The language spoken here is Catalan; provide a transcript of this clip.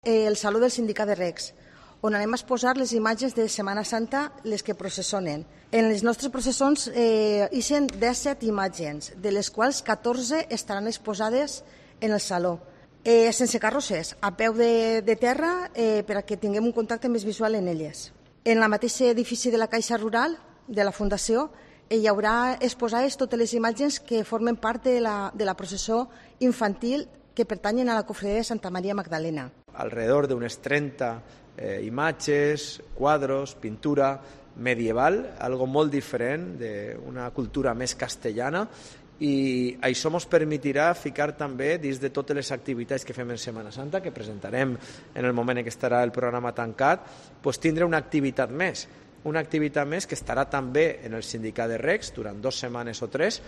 el Saló del Sindicat de Recs, on anem a exposar les imatges de Setmana Santa, les que processionen. En les nostres processons ixen 17 imatges, de les quals 14 estaran exposades en el Saló. Sense carrosses, a peu de terra, perquè tinguem un contacte més visual en elles. En el mateix edifici de la Caixa Rural, de la Fundació, hi haurà exposades totes les imatges que formen part de la processó infantil que pertanyen a la cofradia de Santa Maria Magdalena. Alrededor de unes 30 imatges, quadros, pintura medieval, algo molt diferent, d'una cultura més castellana, i això ens permetirà ficar també dins de totes les activitats que fem en Setmana Santa, que presentarem en el moment en què estarà el programa tancat, tindre una activitat més que estarà també en el sindicat de Recs durant 2 setmanes o 3,